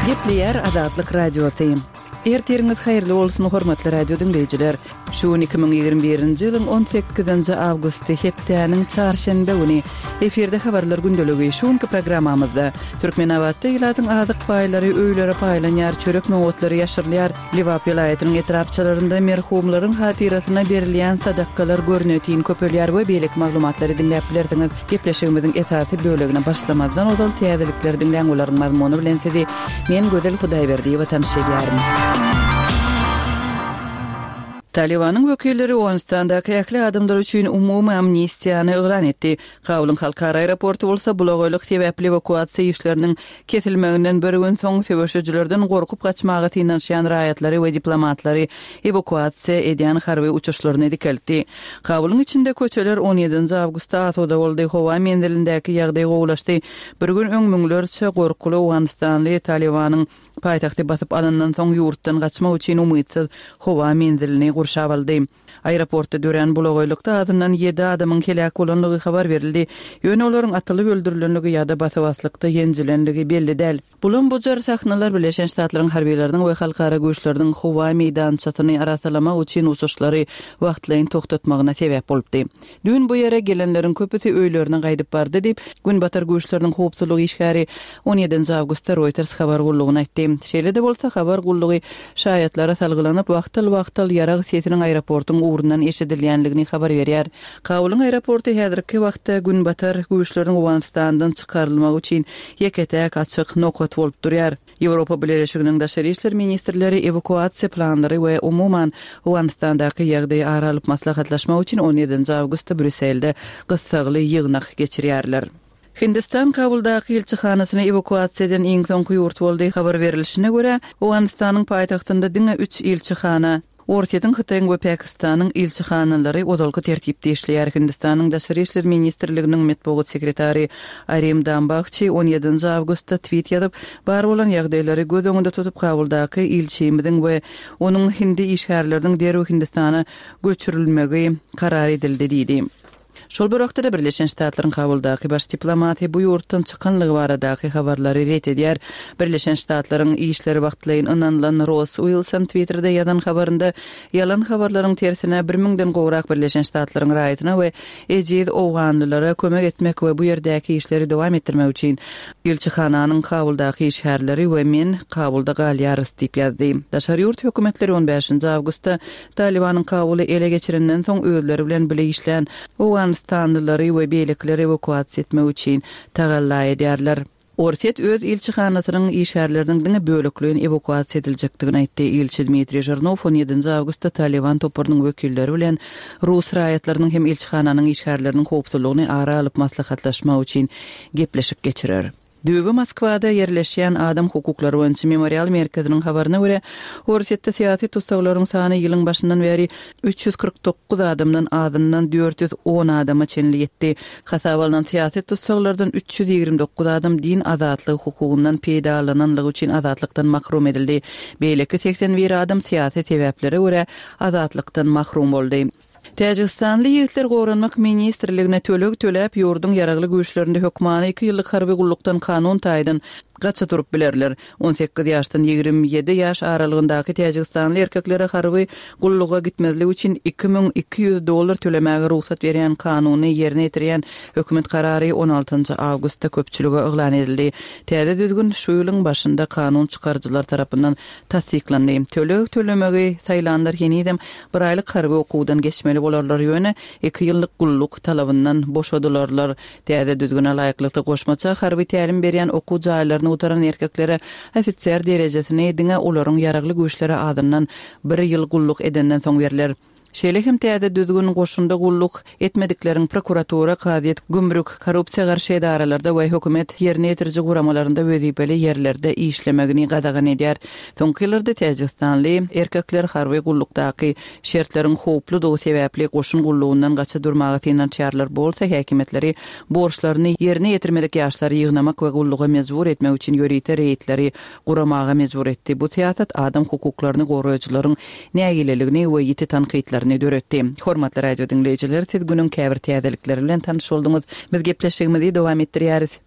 Gepleýär Azatlyk Radiosy. Ertiriňiz haýyrly bolsun, hormatly radio diňleýjiler! Şu gün 2021-nji ýylyň 18-nji awgusty, hepdäniň çarşenbe güni. Efirde habarlar gündeligi. Şu günki programmamyzda, Türkmenabatda ilatyň azyk paýlary öýlere paýlanýar, çörek nobatlary ýaşyrylýar, Lebap welaýatynyň etrapçalarynda merhumlaryň hatyrasyna berilýän sadakalar görnetin köpelýär we beýleki maglumatlary diňläp bilersiňiz. Gepleşigimiziň esasy bölegine başlamazdan ozal täzelikleri diňläň, olaryň mazmuny bilen sizi men Gözel Hudaýberdiýewa tanyş edýärin. Talybanyň wekilleri Owganystandaky ähli adamlar üçin umumy amnistiýany yglan etdi. Kabulyň halkara aeroporty bolsa bulagaýlyk sebäpli ewakuasiýa işleriniň kesilmeginden bir gün soň söweşijilerden gorkup gaçmaga synanyşýan raýatlary we diplomatlary ewakuasiýa edýän harby uçuşlaryny dikeltdi. Kabulyň içinde köçeler on ýedinji awgustda asuda boldy, howa menzilindäki ýagdaý gowulaşdy. Bir gün öň müňlerçe gorkuly owganystanly Talybanyň paýtagty basyp alandan soň ýurtdan gaçmak üçin umytsyz howa menzilini gurşap aldy. Aeroportda dörän bulagaýlykda azyndan ýedi adamyň heläk bolandygy habar berildi. Ýöne olaryň atylyp öldürilenligi ýa-da basa-baslykda ýenjilendigi belli däl. Bulam-bujar sahnalar Birleşen Ştatlaryň harbylarynyň we halkara güýçleriniň howa meýdançasyny arassalamak üçin uçuşlary wagtlaýyn togtatmagyna sebäp bolupdy. Düýn bu ýere gelenleriň köpüsi öýlerine gaýdyp bardy diýip, Günbatar güýçleriniň howpsuzlyk işgäri on ýedinji awgustda Reuters habar gullugyna aýtdy. Şeýle-de bolsa, habar gullugy şaýatlara salgylanyp, wagtal-wagtal ýarag sesiniň aeroportuň ugrundan eşidilýändigini habar berýär. Kabulyň aeroporty häzirki wagtda Günbatar güýçleriniň Owganystandan çykarylmagy üçin ýeke-täk açyk nokat bolup durýar. Ýewropa Bileleşiginiň daşary işler ministrleri ewakuasiýa planlary we umuman, Owganystandaky ýagdaýy ara alyp maslahatlaşmak üçin on ýedinji awgustda Brýusselde gyssagly ýygnak geçirýärler. Hindistan Kabuldaky ilçihanasyny ewakuasiýa eden iň soňky ýurt boldy. Habar berilişine görä, Owganystanyň paýtagtynda diňe üç ilçihana, Orsýetiň, Hytaýyň we Pakistanyň ilçihanalary ozalky tertipde işleýär. Hindistanyň Daşary işler ministrliginiň metbugat sekretary Arim Dambahçi on ýedinji awgustda twit ýazyp, bar bolan ýagdaýlary göz öňünde tutup Kabuldaky ilçimiziň we onuň hindi işgärleriniň derrew Hindistana göçürilmegi karar edildi diýdi. Şol bir wagtda-da Birleşen Ştatlaryň Kabuldaky baş diplomaty bu ýurtdan çykanlygy baradaky habarlary ret edýär. Birleşen Ştatlaryň işleri wagtlaýyn ynanylan Ross Uilson Twitterde ýazan habarynda ýalan habarlaryň tersine bir müňden gowrak Birleşen Ştatlaryň raýatyna we ejiz owganlylara kömek etmek we bu ýerdäki işleri dowam etdirmek üçin ilçihananyň Kabuldaky işgärleri we men Kabulda galýarys diýip ýazdy. Daşary ýurt hökümetleri on bäşinji awgustda Talybanyň Kabuly ele geçirenden soň özleri bilen bile işlän owganystanlylary we beýlekileri ewakuasiýa etmek üçin tagalla edýärler. Orsýet öz ilçihanasynyň işgärleriniň diňe bölekleýin ewakuasiýa ediljekdigini aýtdy. Ilçi Dmitriý Žirnow on ýedinji awgustda Talyban toparynyň wekilleri bilen rus raýatlarynyň hem ilçihananyň işgärleriniň howpsuzlygyny ara alyp maslahatlaşmak üçin gepleşik geçirer. Düýbi Moskwada ýerleşýän Adam hukuklary boýunça Memorial merkeziniň habaryna görä, Orsýetde syýasy tussaglaryň sany ýylyň başyndan bäri 349 adamdan azyndan 410 adama çenli ýetdi. Hasaba alnan syýasy tussaglardan 329 adam din azatlygy hukugyndan peýdalananlygy üçin azatlykdan mahrum edildi. Beýleki 81 adam syýasy sebäplere görä azatlykdan mahrum boldy. Täjigistanly ýigitler Goranmak ministrligine töleg töläp, ýurduň Ýaragly Güýçlerinde hökmany iki ýyllyk harby gullukdan kanun taýdan gaça durup bilerler. 18 ýaşdan 27 ýaş aralygyndaky täjigistanly erkeklere harby gulluga gitmezlik üçin 2200 dollar tölemäge rugsat berýän kanuny ýerine ýetirýän hökümet karary on altynjy awgustda köpçülige yglan edildi. Täze düzgün şu ýylyň başynda kanun çykaryjylar tarapyndan tassyklandy. Töleg tölemegi saýlanlar henizem bir aýlyk harby okuwdan geçmeli bolarlar, ýöne iki ýyllyk gulluk talabyndan boşadylarlar. Täze düzgüne laýyklykda, goşmaça harby tälim berýän okuw jaýlaryny gutaran erkeklere ofiser derejesini diňe olaryň ýaragly güýçlere azyndan bir ýyl gulluk edenden soň berler. Şeýle hem täze düzgün goşunda gulluk etmedikleriň prokuratura, kazyýet, gümrük, korrupsiýa garşy edaralarda we hökümet ýerine ýetiriji guramalarynda wezipeli ýerlerde işlemegini gadagan edýär. Soňky ýyllarda täjigistanly erkekler harby gullukdaky şertleriň howpludygy sebäpli goşun gullugyndan gaça durmaga synanyşýarlar, bu bolsa häkimiýetleri borçlaryny ýerine ýetirmedik ýaşlary ýygnamak we gulluga mejbur etmek üçin ýörite reýdleri guramaga mejbur etdi. Bu syýasat adam hukuklaryny goraýjylaryň nägileligini we ýiti tankytlaryny döretdi. Hormatly radio diňleýjiler, siz günüň käbir täzelikleri bilen tanyş bolduňyz. Biz gepleşigimizi dowam etdirýäris.